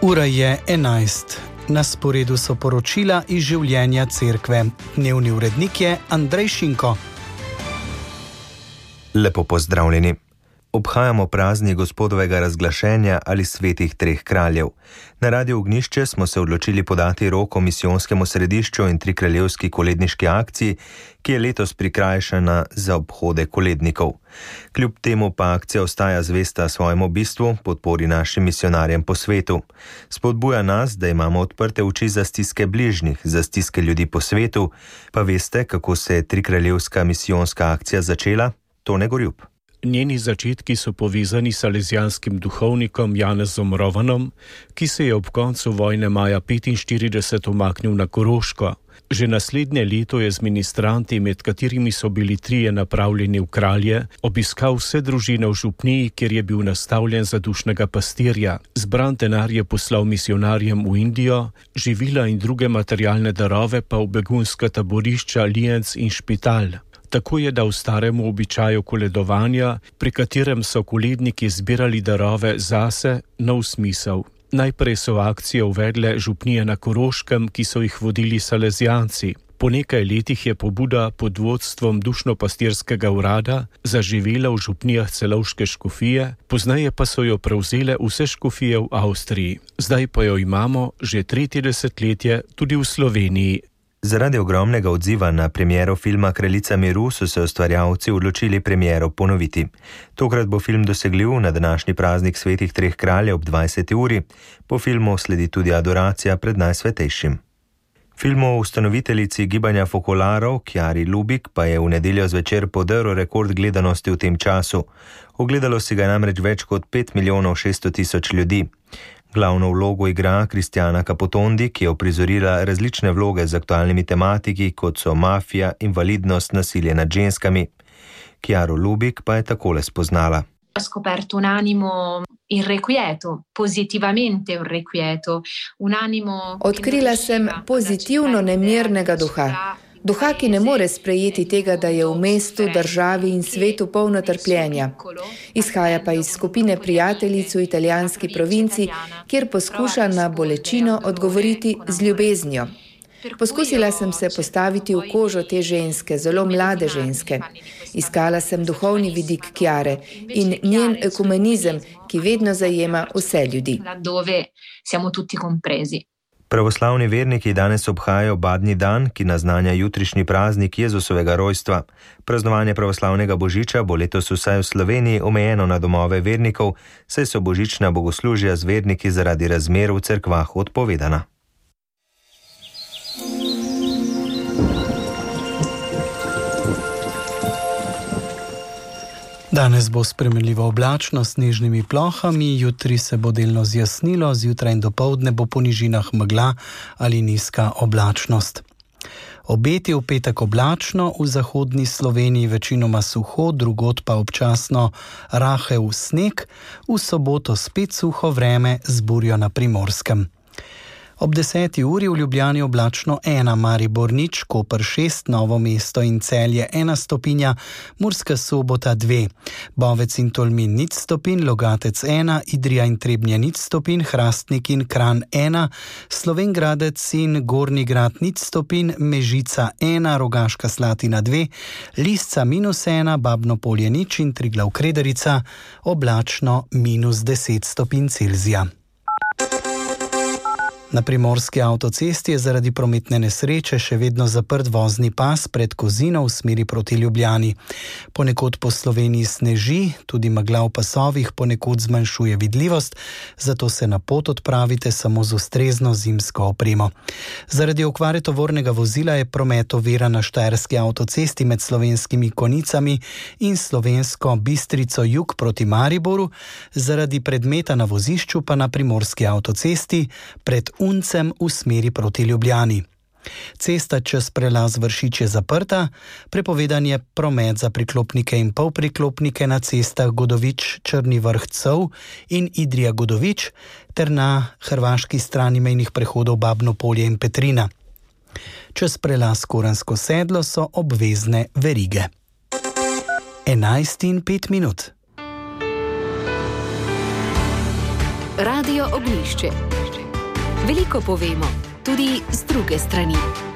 Ura je 11. Na sporedu so poročila iz življenja cerkve. Dnevni urednik je Andrej Šinko. Lepo pozdravljeni. Obhajamo praznik Gospodovega razglašenja ali svetih treh kraljev. Na Radiu Ognjišče smo se odločili podati roko misijonskemu središču in trikraljevski koledniški akciji, ki je letos prikrajšana za obhode kolednikov. Kljub temu pa akcija ostaja zvesta svojemu bistvu, podpori našim misionarjem po svetu. Spodbuja nas, da imamo odprte oči za stiske bližnjih, za stiske ljudi po svetu. Pa veste, kako se je trikraljevska misijonska akcija začela? Tone Gorjup. Njeni začetki so povezani s salezijanskim duhovnikom Janezom Rovanom, ki se je ob koncu vojne maja 1945 umaknil na Koroško. Že naslednje leto je z ministranti, med katerimi so bili 3 napravljeni v Kralje, obiskal vse družine v župniji, kjer je bil nastavljen za dušnega pastirja. Zbran denar je poslal misionarjem v Indijo, živila in druge materialne darove pa v begunska taborišča Lijenc in Špital. Tako je dal staremu običaju koledovanja, pri katerem so koledniki zbirali darove zase, nov smisel. Najprej so akcijo uvedle župnije na Koroškem, ki so jih vodili salezijanci. Po nekaj letih je pobuda pod vodstvom dušno-pastirskega urada zaživela v župnijah celovške škofije, pozneje pa so jo prevzele vse škofije v Avstriji. Zdaj pa jo imamo že 3. desetletje tudi v Sloveniji. Zaradi ogromnega odziva na premiero filma Kraljica miru so se ustvarjalci odločili premiero ponoviti. Tokrat bo film dosegljiv na današnji praznik svetih treh kraljev ob 20. uri. Po filmu sledi tudi adoracija pred Najsvetejšim. Film o ustanoviteljici gibanja Fokolarov, Chiari Lubich, pa je v nedeljo zvečer podrl rekord gledanosti v tem času. Ogledalo si ga je namreč več kot 5.600.000 ljudi. Glavno vlogo igra Kristjana Capotondi, ki je uprizorila različne vloge z aktualnimi tematiki, kot so mafija, invalidnost, nasilje nad ženskami. Chiaro Lubich pa je takole spoznala. Ho scoperto un animo irrequieto, positivamente irrequieto, un animo. Odkrila sem pozitivno nemirnega duha. Duha, ki ne more sprejeti tega, da je v mestu, državi in svetu polno trpljenja. Izhaja pa iz skupine prijateljic v italijanski provinci, kjer poskuša na bolečino odgovoriti z ljubeznijo. Poskusila sem se postaviti v kožo te ženske, zelo mlade ženske. Iskala sem duhovni vidik Chiare in njen ekumenizem, ki vedno zajema vse ljudi. Pravoslavni verniki danes obhajajo Badnji dan, ki naznanja jutrišnji praznik Jezusovega rojstva. Praznovanje pravoslavnega božiča bo letos vsaj v Sloveniji omejeno na domove vernikov, saj so božična bogoslužja z verniki zaradi razmer v cerkvah odpovedana. Danes bo spremenljivo oblačno s snežnimi plohami, jutri se bo delno zjasnilo, zjutraj in dopoldne bo po nižinah megla ali nizka oblačnost. Obeti v petek oblačno, v zahodni Sloveniji večinoma suho, drugod pa občasno rahel sneg, v soboto spet suho vreme z burjo na Primorskem. Ob 10. uri v Ljubljani oblačno 1, Maribor 0, Koper 6, Novo mesto in Celje 1 stopinja, Murska Sobota 2, Bovec in Tolmin 0 stopinj, Logatec 1, Idrija in Trebnje 0 stopinj, Hrastnik in Kranj 1, Slovenj Gradec in Gornji Grad 0 stopinj, Mežica 1, Rogaška Slatina 2, Lisca -1, Babno Polje 0 in Triglav Krederica oblačno -10 stopinj Celzija. Na Primorski avtocesti je zaradi prometne nesreče še vedno zaprt vozni pas pred Kozino v smeri proti Ljubljani. Ponekod po Sloveniji sneži, tudi megla v pasovih ponekod zmanjšuje vidljivost, zato se na pot odpravite samo z ustrezno zimsko opremo. Zaradi okvare tovornega vozila je promet oviran na Štajerski avtocesti med Slovenskimi Konicami in Slovensko Bistrico jug proti Mariboru, zaradi predmeta na vozišču pa na Primorski avtocesti pred Uncem v smeri proti Ljubljani. Cesta čez prelaz Vršič je zaprta, prepovedan je promet za priklopnike in polpriklopnike na cestah Godovič, Črni Vrh Cov in Idrija Godovič ter na hrvaški strani mejnih prehodov Babno Polje in Petrina. Čez prelaz Koransko sedlo so obvezne verige. 11:05. Radio Ognjišče. Veliko povemo, tudi z druge strani.